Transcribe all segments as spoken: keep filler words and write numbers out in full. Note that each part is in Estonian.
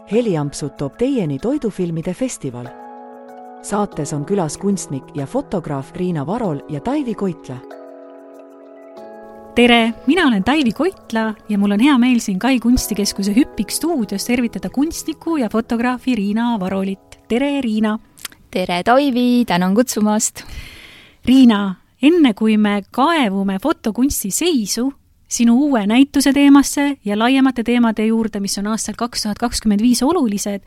Heliampsud toob teieni toidufilmide festival. Saates on külas kunstnik ja fotograaf Riina Varol ja Taivi Koitla. Tere, mina olen Taivi Koitla ja mul on hea meel siin Kai kunstikeskuse Hüppik stuudios tervitada kunstniku ja fotograafi Riina Varolit. Tere, Riina! Tere, Taivi! Tänan kutsumast! Riina, enne kui me kaevume fotokunsti seisu, sinu uue näituse teemasse ja laiemate teemade juurde, mis on aastal kaks tuhat kakskümmend viis olulised,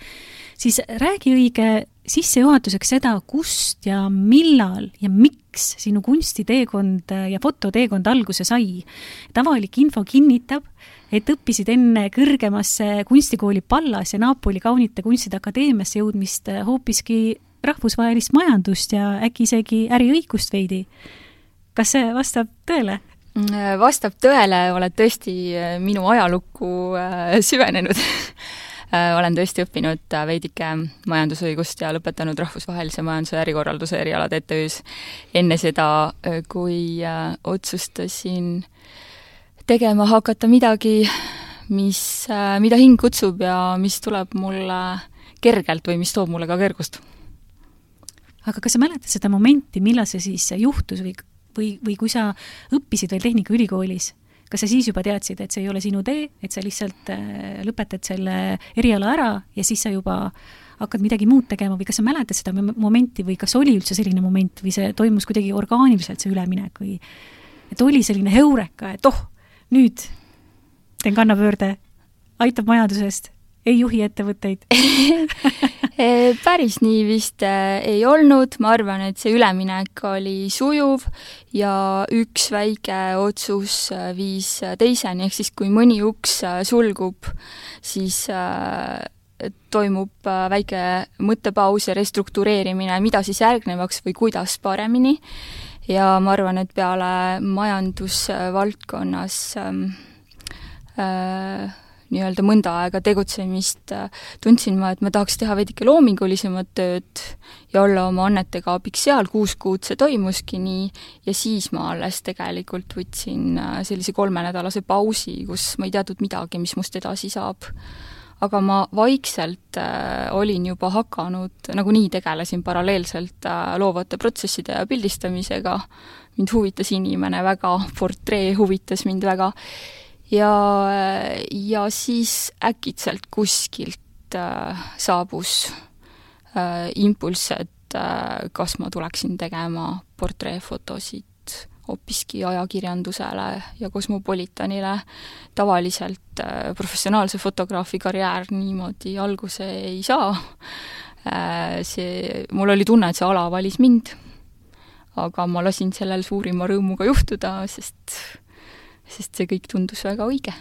siis räägi õige sissejuhatuseks seda, kust ja millal ja miks sinu kunstiteekond ja fototeekond alguse sai. Tavalik info kinnitab, et õppisid enne kõrgemasse kunstikooli Pallas ja Napoli kaunite kunstide akadeemiasse jõudmist hoopiski rahvusvahelist majandust ja äkki isegi äriõigust veidi. Kas see vastab tõele? Vastab tõele, oled tõesti minu ajalukku süvenenud. Olen tõesti õppinud veidike majandusõigust ja lõpetanud rahvusvahelise majanduse ja ärikorralduse erialad E T Üs enne seda, kui otsustasin tegema hakata midagi, mis, mida hing kutsub ja mis tuleb mulle kergelt või mis toob mulle ka kergust. Aga kas sa mäletad seda momenti, millal see siis juhtus või Või, või kui sa õppisid veel Tehnikaülikoolis, kas sa siis juba teadsid, et see ei ole sinu tee, et sa lihtsalt lõpetad selle eriala ära ja siis sa juba hakkad midagi muud tegema või kas sa mäletad seda momenti või kas oli üldse selline moment või see toimus kuidagi orgaaniliselt see üleminek või et oli selline heureka, et oh, nüüd teen kannapöörde, aitab majandusest, ei juhi ettevõtteid? Päris nii vist ei olnud, ma arvan, et see üleminek oli sujuv ja üks väike otsus viis teiseni, ehk siis kui mõni uks sulgub, siis toimub väike mõttepaus ja restruktureerimine, mida siis järgnevaks või kuidas paremini. Ja ma arvan, et peale majandusvaldkonnas äh, nii-öelda mõnda aega tegutsemist tundsin ma, et ma tahaks teha veidike loomingulisemat tööd ja olla oma annetega abiks seal, kuus kuud see toimuski nii ja siis ma alles tegelikult võtsin sellise kolmenädalase pausi, kus ma ei teadnud midagi, mis must edasi saab. Aga ma vaikselt äh, olin juba hakanud, nagu nii tegelesin paralleelselt äh, loovate protsesside ja pildistamisega. Mind huvitas inimene väga, portree huvitas mind väga. Ja, ja siis äkitselt kuskilt äh, saabus äh, impulss, et äh, kas ma tuleksin tegema portreefotosid hoopiski ajakirjandusele ja Kosmopolitanile. Tavaliselt äh, professionaalse fotograafi karjäär niimoodi alguse ei saa. Äh, see, mul oli tunne, et see ala valis mind, aga ma lasin sellel suurima rõõmuga juhtuda, sest sest see kõik tundus väga õige.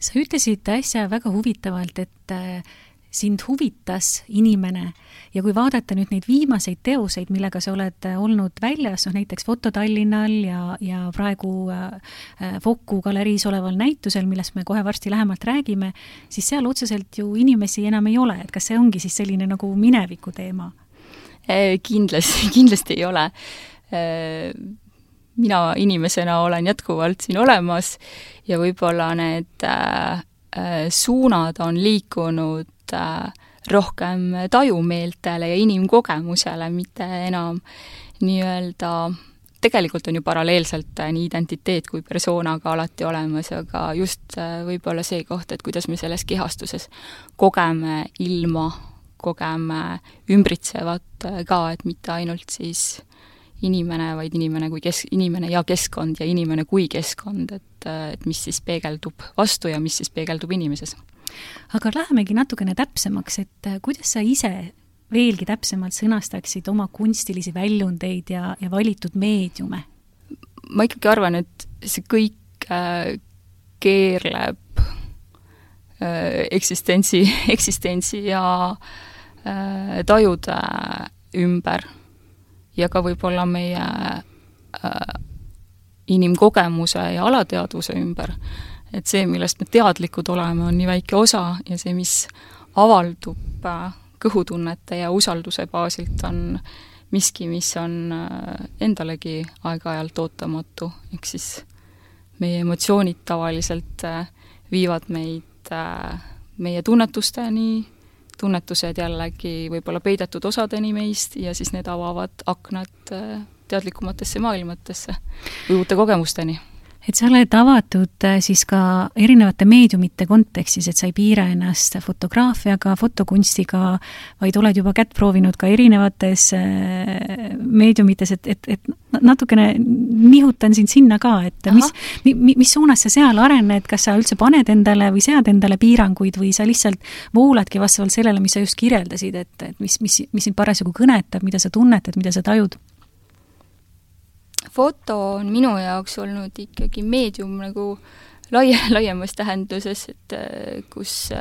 Sa ütlesid äsja väga huvitavalt, et sind huvitas inimene ja kui vaadata nüüd neid viimaseid teoseid, millega sa oled olnud väljas, no näiteks Foto Tallinnal ja, ja praegu Foku galeriis oleval näitusel, millest me kohe varsti lähemalt räägime, siis seal otseselt ju inimesi enam ei ole, et kas see ongi siis selline nagu mineviku teema? Kindlasti, kindlasti ei ole. Mina inimesena olen jätkuvalt siin olemas ja võib-olla need äh, suunad on liikunud äh, rohkem tajumeeltele ja inimkogemusele, mitte enam nii-öelda, tegelikult on ju paralleelselt nii identiteet kui persoonaga alati olemas, aga just äh, võib-olla see koht, et kuidas me selles kehastuses kogeme ilma, kogeme ümbritsevat ka, et mitte ainult siis inimene, vaid inimene kui kes, inimene ja keskkond ja inimene kui keskkond, et, et mis siis peegeldub vastu ja mis siis peegeldub inimeses. Aga lähemegi natukene täpsemaks, et kuidas sa ise veelgi täpsemalt sõnastaksid oma kunstilisi väljundeid ja, ja valitud meediume? Ma ikkagi arvan, et see kõik äh, keerleb äh, eksistentsi, eksistentsi ja äh, tajude ümber ja ka võib-olla meie äh, inimkogemuse ja alateadvuse ümber. Et see, millest me teadlikud oleme, on nii väike osa ja see, mis avaldub äh, kõhutunnete ja usalduse baasilt, on miski, mis on äh, endalegi aeg-ajalt ootamatu. Ehk siis meie emotsioonid tavaliselt äh, viivad meid äh, meie tunnetusteni, tunnetused jällegi võib-olla peidetud osadeni meist ja siis need avavad aknad teadlikumatesse maailmatesse või uute kogemusteni. Et sa oled avatud siis ka erinevate meediumite kontekstis, et sa ei piira ennast fotograafiaga, fotokunstiga, vaid oled juba kätt proovinud ka erinevates meediumites, et, et, et natukene nihutan sind sinna ka, et mis, mi, mis suunas sa seal arened, kas sa üldse paned endale või sead endale piiranguid või sa lihtsalt vooladki vastavalt sellele, mis sa just kirjeldasid, et, et mis, mis, mis sind parasjagu kõnetab, mida sa tunnetad, mida sa tajud? Foto on minu jaoks olnud ikkagi meedium nagu laie, laiemas tähenduses, et kus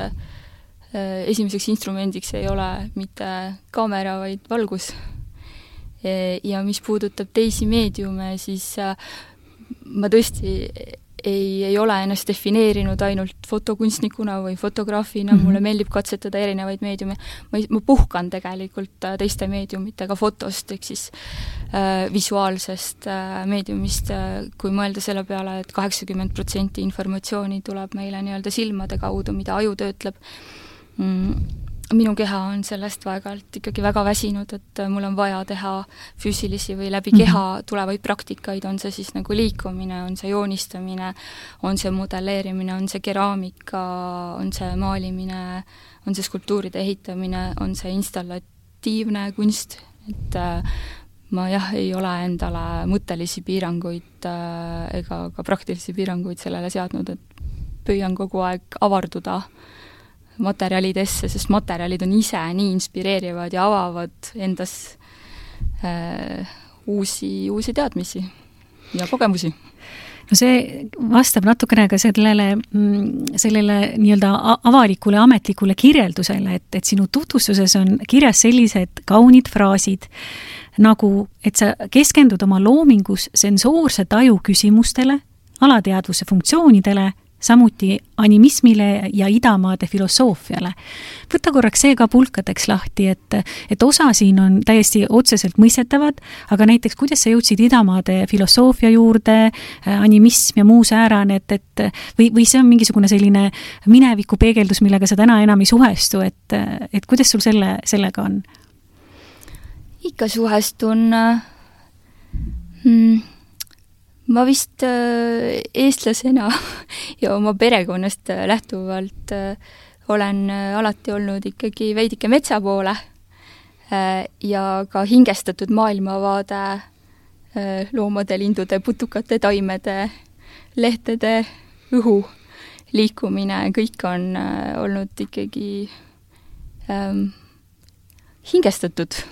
esimeseks instrumendiks ei ole mitte kaamera, vaid valgus. Ja mis puudutab teisi meediume, siis ma tõesti ei, ei ole ennast defineerinud ainult fotokunstnikuna või fotograafina, mm-hmm. mulle meeldib katsetada erinevaid meediume. Ma, ma puhkan tegelikult teiste meediumitega fotost, ehk siis äh, visuaalsest äh, meediumist, äh, kui mõelda selle peale, et kaheksakümmend protsenti informatsiooni tuleb meile nii-öelda silmade kaudu, mida aju töötleb. Mm. Minu keha on sellest vaegalt ikkagi väga väsinud, et mul on vaja teha füüsilisi või läbi keha tulevaid praktikaid, on see siis nagu liikumine, on see joonistamine, on see modelleerimine, on see keraamika, on see maalimine, on see skulptuuride ehitamine, on see installatiivne kunst, et ma jah, ei ole endale mõttelisi piiranguid ega ka praktilisi piiranguid sellele seadnud, et püüan kogu aeg avarduda materjalidesse, sest materjalid on ise nii inspireerivad ja avavad endas äh, uusi, uusi teadmisi ja kogemusi. No see vastab natukene ka sellele, sellele nii-öelda avalikule ametlikule kirjeldusele, et, et sinu tutvustuses on kirjas sellised kaunid fraasid, nagu et sa keskendud oma loomingus sensoorse taju küsimustele, alateadvuse funktsioonidele, samuti animismile ja idamaade filosoofiale. Võta korraks see ka pulkadeks lahti, et, et osa siin on täiesti otseselt mõistetavad, aga näiteks kuidas sa jõudsid idamaade filosoofia juurde, animism ja muu säärane, et, et või, või see on mingisugune selline mineviku peegeldus, millega sa täna enam ei suhestu, et, et kuidas sul selle, sellega on? Ikka suhestun hmm. Ma vist äh, eestlasena ja oma perekonnast äh, lähtuvalt äh, olen äh, alati olnud ikkagi veidike metsa poole äh, ja ka hingestatud maailmavaade äh, loomade, lindude, putukate, taimede, lehtede, õhu liikumine, kõik on äh, olnud ikkagi ähm, hingestatud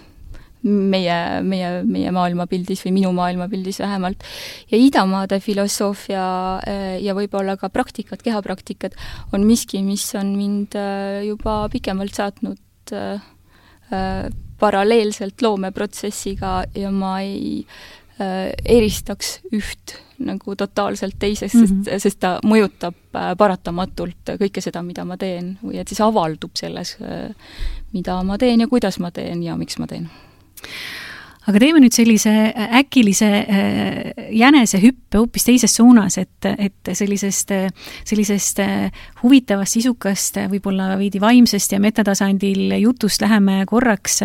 meie, meie, meie maailmapildis või minu maailmapildis vähemalt. Ja idamaade filosoofia ja võib-olla ka praktikad, kehapraktikad on miski, mis on mind juba pikemalt saatnud paralleelselt loomeprotsessiga ja ma ei eristaks üht nagu totaalselt teisest, mm-hmm. sest, sest ta mõjutab paratamatult kõike seda, mida ma teen või et siis avaldub selles, mida ma teen ja kuidas ma teen ja miks ma teen. Aga teeme nüüd sellise äkilise jänese hüppe hoopis teises suunas, et, et sellisest, sellisest huvitavast, sisukast, võib-olla veidi vaimsest ja metatasandil jutust läheme korraks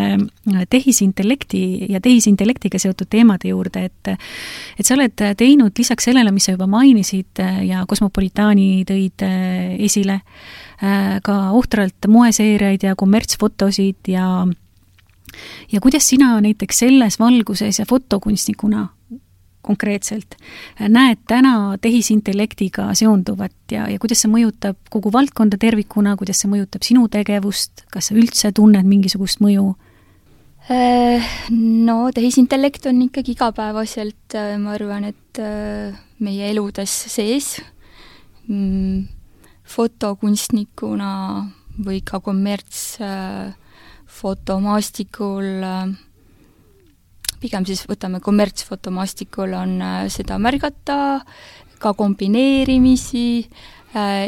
tehisintellekti ja tehisintellektiga seotud teemade juurde, et, et sa oled teinud lisaks sellele, mis sa juba mainisid ja Kosmopolitaani tõid esile, ka ohtralt moeseeriaid ja kommertsfotosid ja ja kuidas sina näiteks selles valguses ja fotokunstnikuna konkreetselt näed täna tehisintellektiga seonduvat ja, ja kuidas see mõjutab kogu valdkonda tervikuna, kuidas see mõjutab sinu tegevust, kas sa üldse tunned mingisugust mõju? No tehisintellekt on ikkagi igapäevaselt, ma arvan, et meie eludes sees fotokunstnikuna või ka kommerts fotomaastikul, pigem siis võtame kommertsfotomaastikul on seda märgata, ka kombineerimisi,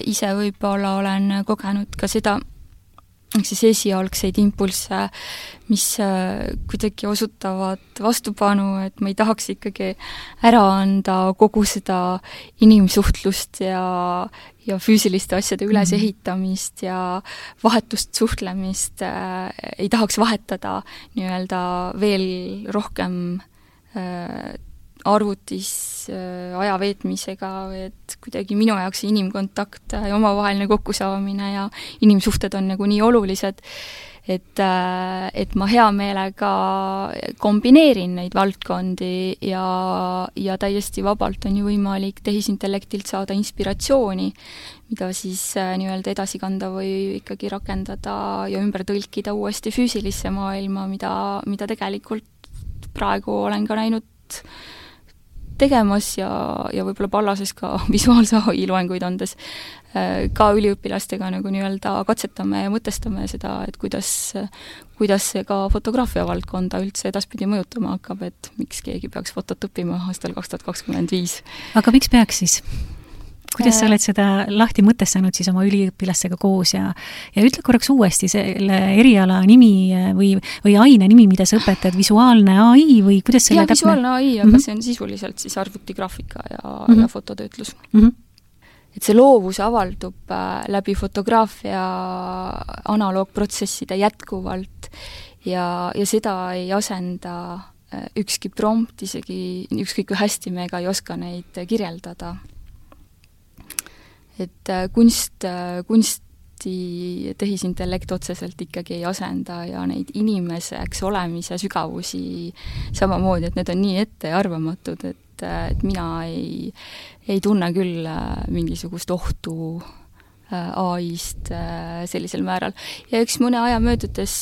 ise võib-olla olen kogenud ka seda, ehk siis esialgseid impulsse, mis kuidagi osutavad vastupanu, et ma ei tahaks ikkagi ära anda kogu seda inimsuhtlust ja, ja füüsiliste asjade ülesehitamist ja vahetust suhtlemist äh, ei tahaks vahetada nii-öelda veel rohkem äh, arvutis äh, aja veetmisega, et kuidagi minu jaoks inimkontakt ja omavaheline kokkusaamine ja inimsuhted on nagu nii olulised, et, äh, et ma hea meelega kombineerin neid valdkondi ja, ja täiesti vabalt on ju võimalik tehisintellektilt saada inspiratsiooni, mida siis äh, nii-öelda edasi kanda või ikkagi rakendada ja ümber tõlkida uuesti füüsilisse maailma, mida, mida tegelikult praegu olen ka näinud tegemas ja, ja võib-olla Pallases ka visuaalse A I loenguid andes ka üliõpilastega nagu nii-öelda katsetame ja mõtestame seda, et kuidas, kuidas see ka fotograafia valdkonda üldse edaspidi mõjutama hakkab, et miks keegi peaks fotot õppima aastal kaks tuhat kakskümmend viis. Aga miks peaks siis? Kuidas sa oled seda lahti mõtestanud siis oma üliõpilastega koos ja, ja ütle korraks uuesti selle eriala nimi või, või aine nimi, mida sa õpetad, visuaalne A I või kuidas selle ja, täpne? Visuaalne A I, aga mm -hmm. see on sisuliselt siis arvutigraafika ja, mm -hmm. ja fototöötlus. Mm -hmm. Et see loovus avaldub läbi fotograafia analoogprotsesside jätkuvalt ja, ja seda ei asenda ükski prompt, isegi ükskõik kui hästi me ka ei oska neid kirjeldada. Et kunst, kunsti tehisintellekt otseselt ikkagi ei asenda ja neid inimeseks olemise sügavusi samamoodi, et need on nii ettearvamatud, et, et mina ei, ei tunne küll mingisugust ohtu A I-st sellisel määral. Ja üks mõne aja möödudes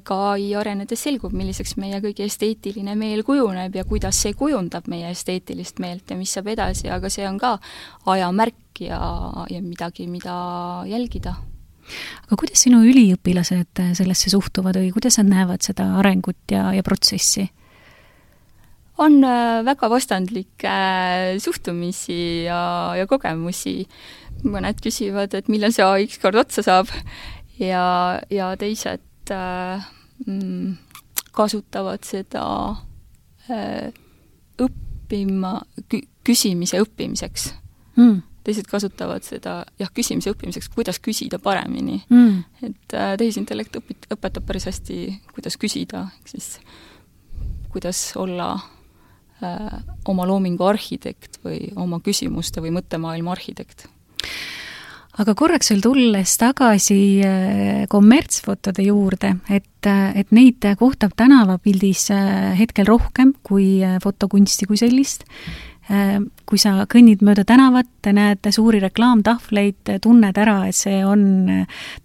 ka A I arenedes selgub, milliseks meie kõigi esteetiline meel kujuneb ja kuidas see kujundab meie esteetilist meelt ja mis saab edasi, aga see on ka ajamärk ja, ja midagi, mida jälgida. Aga kuidas sinu üliõpilased sellesse suhtuvad või kuidas nad näevad seda arengut ja, ja protsessi? On väga vastandlikke suhtumisi ja, ja kogemusi. Mõned küsivad, et millal see A I ükskord otsa saab ja, ja teised äh, kasutavad seda äh, õppima, kü- küsimise õppimiseks. Mm. Teised kasutavad seda jah, küsimise õppimiseks, kuidas küsida paremini. Mm. Et äh, tehisintellekt õpit, õpetab päris hästi, kuidas küsida, siis kuidas olla äh, oma loomingu arhitekt või oma küsimuste või mõttemaailma arhitekt. Aga korraks veel tulles tagasi kommertsfotode juurde, et, et neid kohtab tänavapildis hetkel rohkem kui fotokunsti kui sellist. Kui sa kõnnid mööda tänavat, näed suuri reklaamtahvleid, tunned ära, et see on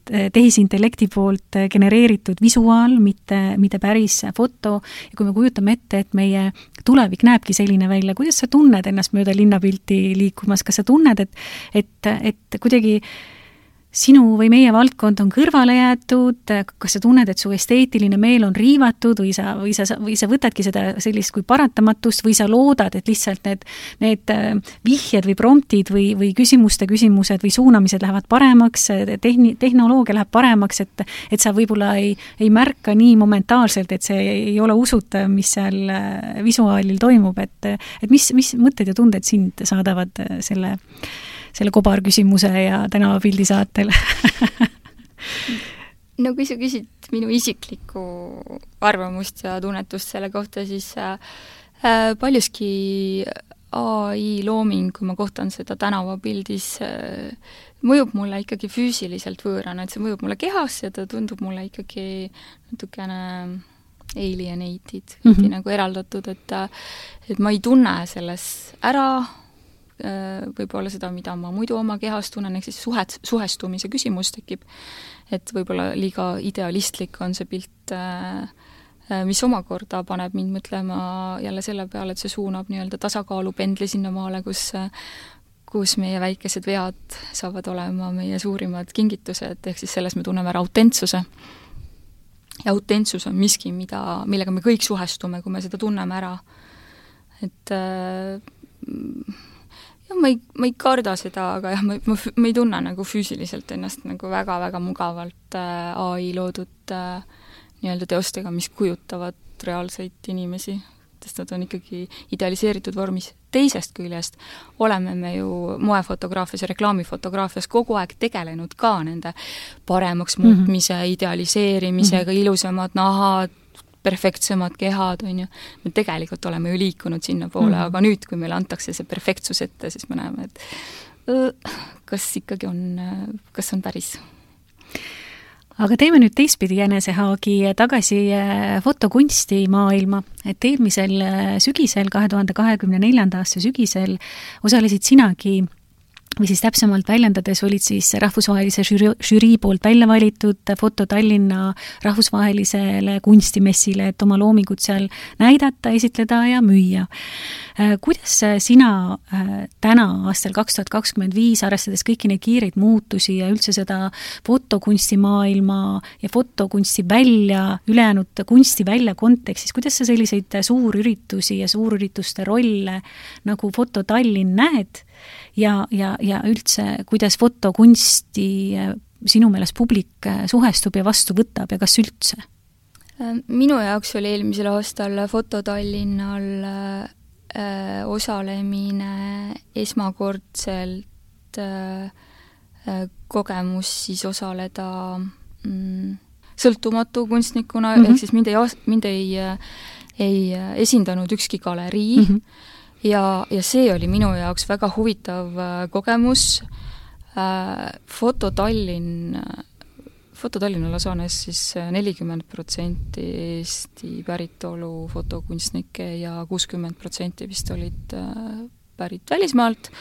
tehisintellekti poolt genereeritud visuaal, mitte, mitte päris foto. Ja kui me kujutame ette, et meie tulevik näebki selline välja, kuidas sa tunned ennast mööda linnapilti liikumas? Kas sa tunned, et, et, et kuidagi sinu või meie valdkond on kõrvale jäetud, kas sa tunned, et su esteetiline meel on riivatud või sa, või sa, või sa võtadki seda sellist kui paratamatust või sa loodad, et lihtsalt need, need vihjed või promptid või, või küsimuste küsimused või suunamised lähevad paremaks, tehni, tehnoloogia läheb paremaks, et, et sa võib-olla ei, ei märka nii momentaalselt, et see ei ole usutav, mis seal visuaalil toimub, et, et mis, mis mõtted ja tunded sind saadavad selle selle kobarküsimuse ja tänavapildi saatel? No kui sa küsid minu isiklikku arvamust ja tunnetust selle kohta, siis äh, paljuski A I looming, kui ma kohtan seda tänavapildis, äh, mõjub mulle ikkagi füüsiliselt võõrana, et see mõjub mulle kehasse ja ta tundub mulle ikkagi natukene alienated, mm -hmm. nagu eraldatud, et, et ma ei tunne selles ära võib-olla seda, mida ma muidu oma kehas tunnen, ehk siis suhet, suhestumise küsimus tekib, et võib-olla liiga idealistlik on see pilt, mis omakorda paneb mind mõtlema jälle selle peale, et see suunab nii-öelda tasakaalupendli sinnamaale, kus, kus meie väikesed vead saavad olema meie suurimad kingitused, ehk siis selles me tunneme ära autentsuse. Ja autentsus on miski, mida, millega me kõik suhestume, kui me seda tunneme ära. Et jah, ma ei, ma ei karda seda, aga jah, ma, ma, ma ei tunne nagu füüsiliselt ennast nagu väga-väga mugavalt äh, A I loodud äh, nii-öelda teostega, mis kujutavad reaalseid inimesi, sest nad on ikkagi idealiseeritud vormis. Teisest küljest oleme me ju moefotograafias ja reklaamifotograafias kogu aeg tegelenud ka nende paremaks muutmise, mm-hmm. idealiseerimisega, mm-hmm. ilusamad nahad, perfektsemad kehad, on ju. Me tegelikult oleme ju liikunud sinna poole, mm-hmm. aga nüüd, kui meile antakse see perfektsus ette, siis me näeme, et öö, kas ikkagi on, kas on päris. Aga teeme nüüd teistpidi jänesehaagi tagasi fotokunsti maailma, et eelmisel sügisel, kahe tuhande kahekümne neljanda aasta sügisel osalesid sinagi, või siis täpsemalt väljendades olid siis rahvusvahelise žürii, žürii poolt välja valitud Foto Tallinna rahvusvahelisele kunstimessile, et oma loomingut seal näidata, esitleda ja müüa. Kuidas sina täna aastal kaks tuhat kakskümmend viis, arvestades kõiki neid kiireid muutusi ja üldse seda fotokunstimaailma ja fotokunsti välja, ülejäänud kunsti välja kontekstis, kuidas sa selliseid suurüritusi ja suurürituste rolle nagu Foto Tallinn näed ja, ja, ja üldse, kuidas fotokunsti sinu meelest publik suhestub ja vastu võtab ja kas üldse? Minu jaoks oli eelmisel aastal Foto Tallinnal äh, osalemine esmakordselt äh, kogemus siis osaleda mm, sõltumatu kunstnikuna, mm-hmm. ehk siis mind ei, mind ei, ei esindanud ükski galerii, mm-hmm. Ja, ja see oli minu jaoks väga huvitav kogemus. Foto Tallinn, Foto Tallinna Lasanes siis nelikümmend protsenti Eesti päritolu fotokunstnikke ja kuuskümmend protsenti vist olid pärit välismaalt.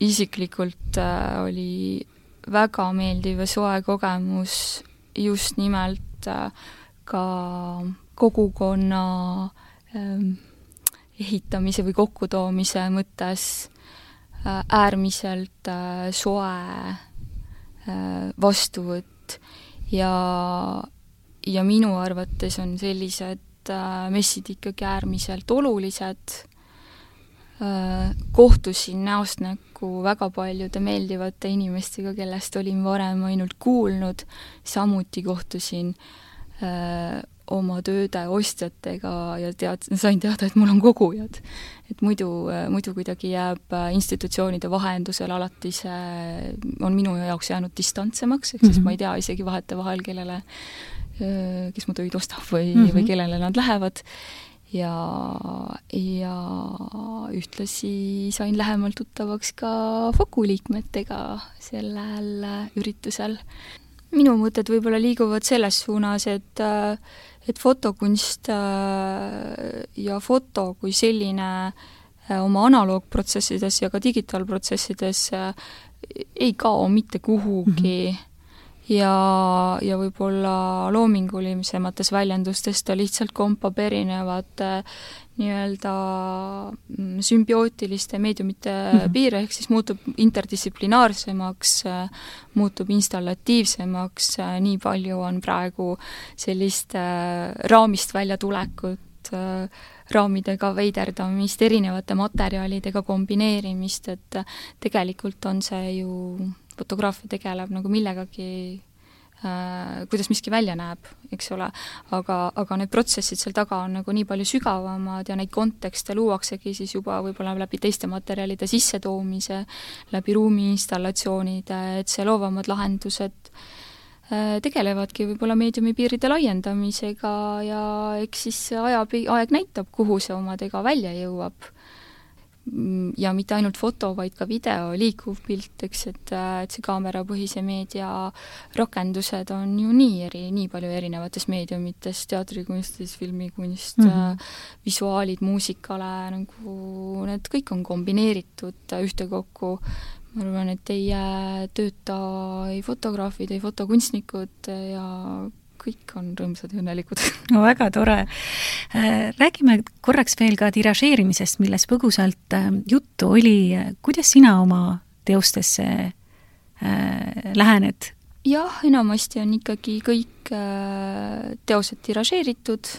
Isiklikult oli väga meeldiv ja soe kogemus just nimelt ka kogukonna ehitamise või kokkutoomise mõttes äärmiselt soe vastuvõtt ja, ja minu arvates on sellised messid ikkagi äärmiselt olulised. Kohtusin näost näkku väga paljude meeldivate inimestega, kellest olin varem ainult kuulnud, samuti kohtusin oma tööde ostjatega ja tead, sain teada, et mul on kogujad. Et muidu, muidu kuidagi jääb institutsioonide vahendusel alati see on minu jaoks jäänud distantsemaks, ehk siis ma ei tea isegi vahete vahel, kellele, kes mu töid ostab või, mm-hmm. või kellele nad lähevad. Ja, ja ühtlasi sain lähemalt tuttavaks ka Foku liikmetega sellel üritusel. Minu mõtted võib-olla liiguvad selles suunas, et, et fotokunst ja foto kui selline oma analoogprotsessides ja ka digitaalprotsessides ei kao mitte kuhugi mm-hmm. ja, ja võib-olla loomingulisemates väljendustes ta lihtsalt kompab erinevate nii-öelda sümbiootiliste meediumite mm-hmm. piire, ehk siis muutub interdistsiplinaarsemaks, muutub installatiivsemaks, nii palju on praegu sellist raamist välja tulekut, raamidega veiderdamist, erinevate materjalidega kombineerimist, et tegelikult on see ju, fotograafia tegeleb nagu millegagi, kuidas miski välja näeb, eks ole, aga, aga need protsessid seal taga on nagu nii palju sügavamad ja neid kontekste luuaksegi siis juba võib-olla läbi teiste materjalide sissetoomise, läbi ruumi installatsioonide, et see loovamad lahendused tegelevadki võib-olla meediumi piiride laiendamisega ja eks siis aja, aeg näitab, kuhu see omadega välja jõuab. Ja mitte ainult foto, vaid ka video, liikuv pilt, eks, et, et see kaamerapõhise meedia rakendused on ju nii eri, nii palju erinevates meediumites, teatrikunstis, filmikunst, mm-hmm. visuaalid, muusikale, nagu need kõik on kombineeritud ühtekokku. Ma arvan, et ei tööta ei fotograafid, ei fotokunstnikud ja kõik on rõõmsad ja õnnelikud. No väga tore. Räägime korraks veel ka tiražeerimisest, milles põgusalt juttu oli. Kuidas sina oma teostesse lähened? Jah, enamasti on ikkagi kõik teosed tiražeeritud,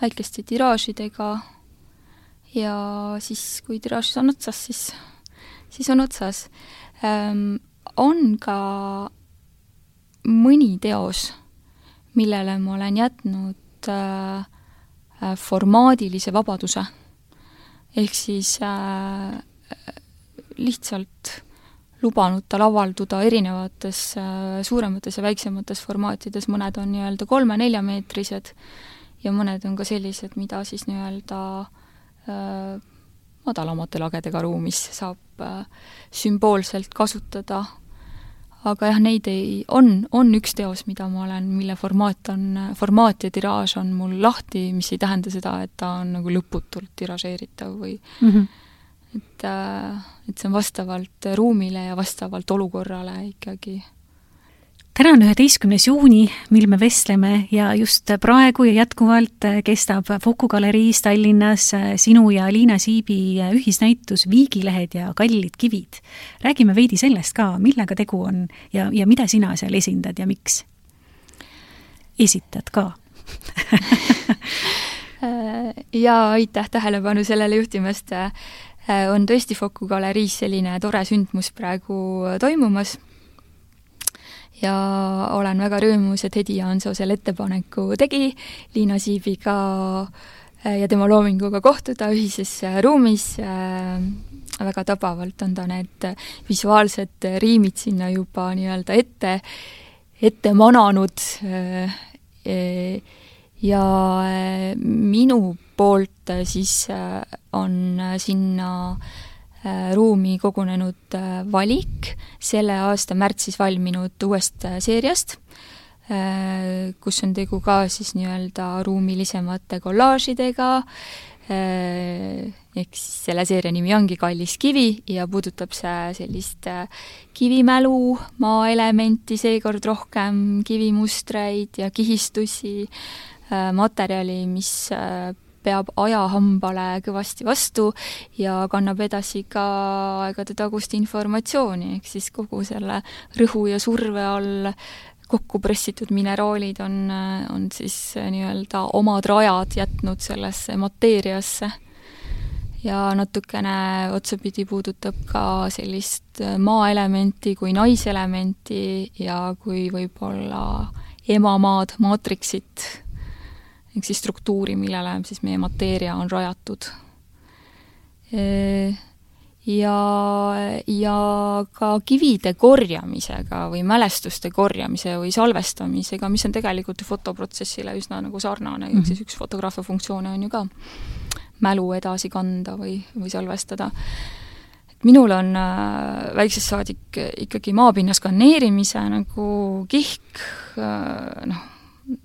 väikeste tiraažidega ja siis, kui tiraažis on otsas, siis, siis on otsas. Ähm, on ka mõni teos, millele ma olen jätnud äh, formaadilise vabaduse. Ehk siis äh, lihtsalt lubanud tal avalduda erinevates äh, suuremates ja väiksemates formaatides, mõned on nii-öelda kolme-neljameetrised ja mõned on ka sellised, mida siis nii-öelda äh, madalamate lagedega ruumis saab äh, sümboolselt kasutada. Aga jah, neid ei, on, on üks teos, mida ma olen, mille formaat on, formaat ja tiraaž on mul lahti, mis ei tähenda seda, et ta on nagu lõputult tiražeeritav või mm -hmm. et, et see on vastavalt ruumile ja vastavalt olukorrale ikkagi. Täna on üheteistkümnes juuni, mil me vestleme ja just praegu ja jätkuvalt kestab Foku galeriis Tallinnas sinu ja Liina Siibi ühisnäitus Viigilehed ja kallid kivid. Räägime veidi sellest ka, millega tegu on ja, ja mida sina seal esindad ja miks? Esitad ka? ja aitäh tähelepanu sellele juhtimast. On tõesti Foku galeriis selline tore sündmus praegu toimumas. Ja olen väga rõõmus, et Hedi Jaansoo selle ettepaneku tegi Liina Siibiga ja tema loominguga kohtuda ühises ruumis. Väga tabavalt on ta need visuaalsed riimid sinna juba nii-öelda ette, ette mananud. Ja minu poolt siis on sinna ruumi kogunenud valik selle aasta märtsis valminud uuest seeriast, kus on tegu ka siis nii-öelda ruumilisemate kollaažidega, ehk siis selle seeria nimi ongi Kallis kivi ja puudutab see sellist kivimälu, maaelementi, seekord rohkem kivimustreid ja kihistusi, materjali, mis peab ajahambale kõvasti vastu ja kannab edasi ka aegade tagust informatsiooni, ehk siis kogu selle rõhu ja surve all kokku pressitud mineraalid on, on siis nii-öelda omad rajad jätnud sellesse mateeriasse. Ja natukene otsapidi puudutab ka sellist maaelementi kui naiselementi ja kui võib-olla emamaad, maatriksit, ehk siis struktuuri, millele siis meie mateeria on rajatud. Ja, ja ka kivide korjamisega või mälestuste korjamise või salvestamisega, mis on tegelikult fotoprotsessile üsna nagu sarnane, mm-hmm. siis üks fotograafia funktsioone on ju ka mälu edasi kanda või, või salvestada. Minul on äh, väiksest saadik ikkagi maapinna skanneerimise nagu kihk, äh, noh,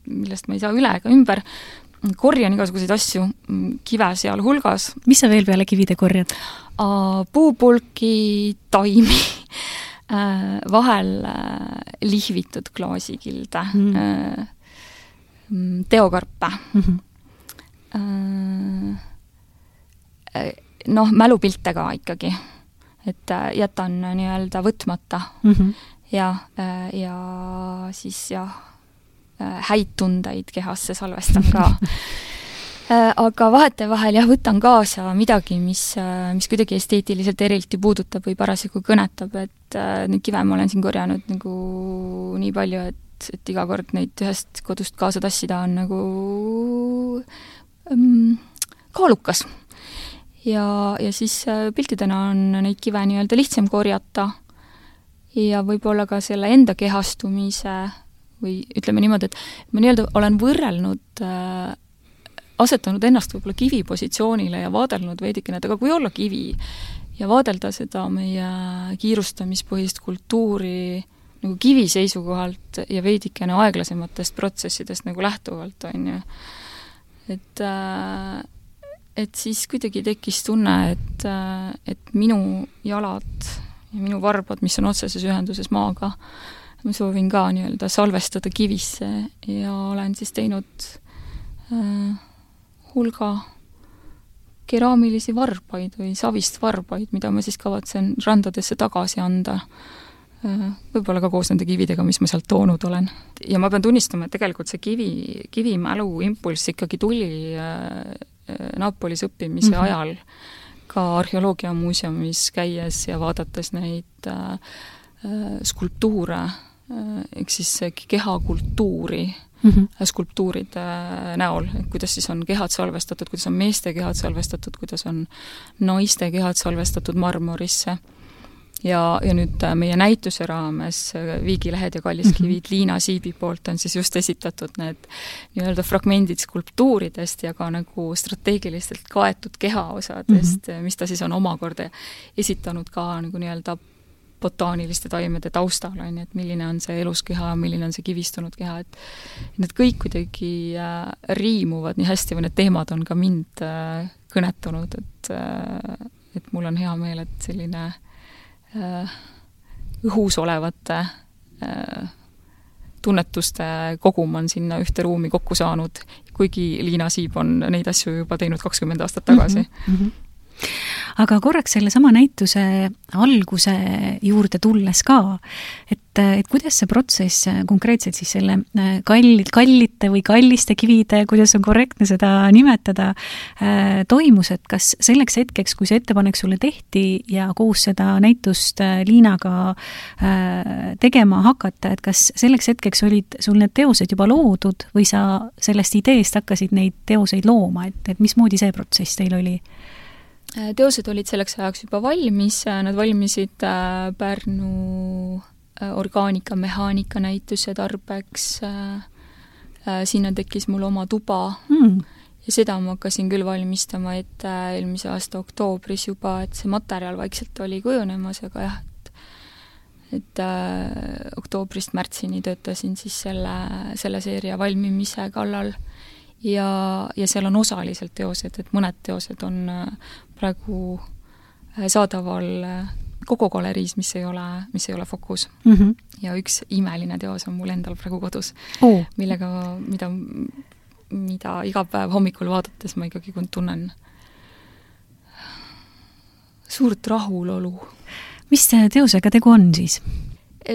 millest ma ei saa üle ega ümber, korjan igasuguseid asju, kive seal hulgas. Mis sa veel peale kivide korjad? Puupulki, taimi, vahel lihvitud klaasikilde, mm. teokarpe. Mm-hmm. Noh, mälupilte ka ikkagi, et jätan nii-öelda võtmata. Mm-hmm. Ja, ja siis jah, häid tundeid kehasse salvestan ka. Aga vahete vahel jah, võtan kaasa midagi, mis, mis kuidagi esteetiliselt erilti puudutab või parasjagu kõnetab, et neid kive ma olen siin korjanud nagu nii palju, et, et iga kord neid ühest kodust kaasa tassida on nagu um, kaalukas. Ja, ja siis piltidena on neid kive nii-öelda lihtsam korjata ja võib-olla ka selle enda kehastumise või ütleme niimoodi, et ma nii-öelda olen võrrelnud, äh, asetanud ennast võib-olla kivi positsioonile ja vaadelnud veidikene, et aga kui olla kivi ja vaadelda seda meie kiirustamispõhist kultuuri nagu kivi seisukohalt ja veidikene aeglasematest protsessidest nagu lähtuvalt, on ju. Et, äh, et siis kuidagi tekkis tunne, et, äh, et minu jalad ja minu varbad, mis on otseses ühenduses maaga, ma soovin ka nii-öelda salvestada kivisse ja olen siis teinud äh, hulga keraamilisi varbaid või savist varbaid, mida ma siis kavatsen randadesse tagasi anda. Äh, võib-olla ka koos nende kividega, mis ma sealt toonud olen. Ja ma pean tunnistama, et tegelikult see kivi, kivimälu impulss ikkagi tuli äh, Napolis õppimise Mhm. ajal ka arheoloogiamuuseumis käies ja vaadates neid äh, skulptuure, äh, ehk siis kehakultuuri, mm -hmm. skulptuuride näol, kuidas siis on kehad salvestatud, kuidas on meeste kehad salvestatud, kuidas on naiste kehad salvestatud marmorisse. Ja, ja nüüd meie näituse raames Viigilehed ja Kalliskivid mm-hmm. Liina Siibi poolt on siis just esitatud need nii-öelda fragmendid skulptuuridest ja ka nagu strateegilistelt kaetud kehaosadest, mm-hmm. mis ta siis on omakorda esitanud ka nagu nii-öelda botaaniliste taimede taustal, on, et milline on see eluskeha, milline on see kivistunud keha, et need kõik kuidagi äh, riimuvad nii hästi või need teemad on ka mind äh, kõnetanud, et, äh, et mul on hea meel, et selline õhus olevate tunnetuste kogum on sinna ühte ruumi kokku saanud, kuigi Liina Siib on neid asju juba teinud kakskümmend aastat tagasi. Mm-hmm. Aga korraks selle sama näituse alguse juurde tulles ka, et, et kuidas see protsess konkreetselt siis selle kallid, kallite või kalliste kivide, kuidas on korrektne seda nimetada, toimus, et kas selleks hetkeks, kui see ettepanek sulle tehti ja koos seda näitust Liinaga tegema hakata, et kas selleks hetkeks olid sul need teosed juba loodud või sa sellest ideest hakkasid neid teoseid looma, et, et mismoodi see protsess teil oli? Teosed olid selleks ajaks juba valmis, nad valmisid Pärnu orgaanika, mehaanika näituse tarbeks, sinna tekkis mul oma tuba mm. ja seda ma hakkasin küll valmistama, et eelmise aasta oktoobris juba, et see materjal vaikselt oli kujunemas, aga jah, et, et äh, oktoobrist märtsini töötasin siis selle, selle seeria valmimise kallal ja, ja seal on osaliselt teosed, et mõned teosed on praegu saadaval Kogo galeriis, mis ei ole, mis ei ole Fokus. Mm -hmm. Ja üks imeline teos on mul endal praegu kodus, oh. millega, mida, mida iga päev hommikul vaadates ma ikkagi tunnen suurt rahulolu. Mis teosega tegu on siis?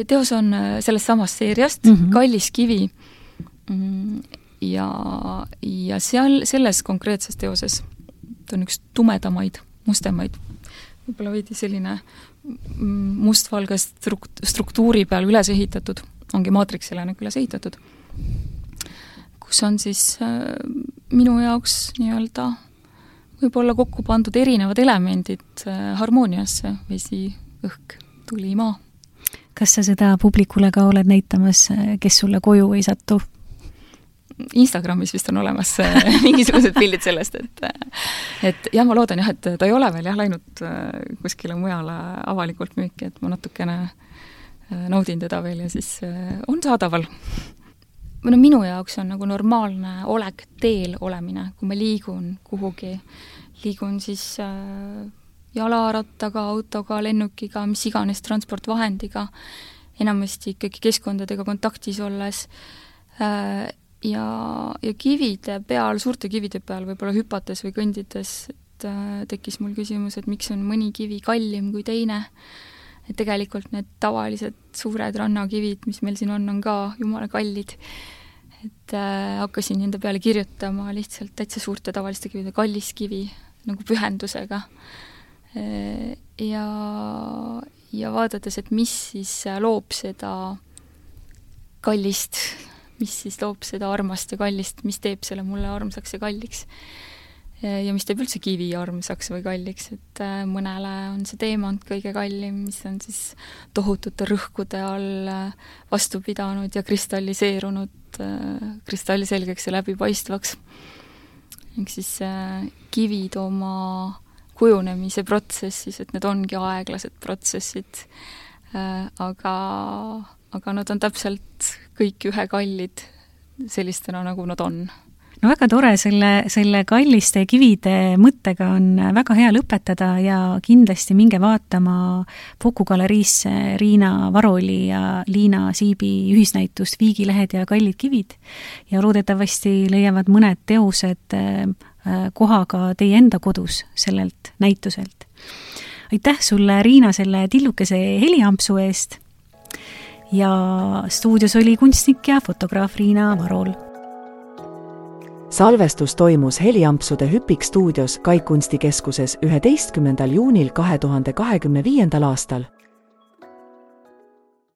Teos on sellest samast seeriast, mm -hmm. Kalliskivi. Ja, ja seal, selles konkreetses teoses on üks tumedamaid, mustemaid, võib-olla veidi selline mustvalge struktuuri peal üles ehitatud, ongi maatriksele nagu üles ehitatud, kus on siis äh, minu jaoks nii-öelda võib-olla kokku pandud erinevad elemendid äh, harmooniasse, vesi, õhk, tuli, maa. Kas sa seda publikule ka oled näitamas, kes sulle koju ei satu? Instagramis vist on olemas mingisugused pildid sellest, et et jah, ma loodan jah, et ta ei ole veel jah läinud kuskile mujale avalikult müüki, et ma natukene naudin teda veel ja siis on saadaval. No minu jaoks on nagu normaalne olek teel olemine, kui ma liigun kuhugi, liigun siis jalarattaga, autoga, lennukiga, mis iganes transportvahendiga, enamasti ikkagi keskkondadega kontaktis olles ja, ja kivide peal, suurte kivide peal võib-olla hüpates või kõndides, et tekkis mul küsimus, et miks on mõni kivi kallim kui teine. Et tegelikult need tavalised suured rannakivid, mis meil siin on, on ka jumala kallid. Et äh, hakkasin nende peale kirjutama lihtsalt täitsa suurte tavaliste kivide Kalliskivi nagu pühendusega. Ja, ja vaadates, et mis siis loob seda kallist, mis siis loob seda armast ja kallist, mis teeb selle mulle armsaks ja kalliks. Ja mis teeb üldse kivi armsaks või kalliks, et mõnele on see teemant kõige kallim, mis on siis tohutute rõhkude all vastu pidanud ja kristalliseerunud kristalliselgeks ja läbipaistvaks. Ehk siis kivid oma kujunemise protsessis, et need ongi aeglased protsessid, aga, aga nad on täpselt kõik ühekallid sellistena, nagu nad on. No väga tore, selle, selle kalliste kivide mõttega on väga hea lõpetada ja kindlasti minge vaatama Foku galeriisse Riina Varoli ja Liina Siibi ühisnäitust Viigilehed ja kallid kivid ja loodetavasti leiavad mõned teosed kohaga teie enda kodus sellelt näituselt. Aitäh sulle, Riina, selle tillukese heliampsu eest ja stuudios oli kunstnik ja fotograaf Riina Varol. salvestus toimus Heliampsude Hüpik stuudios Kaik kunstikeskuses üheteistkümnendal juunil kahe tuhande kahekümne viiendal aastal.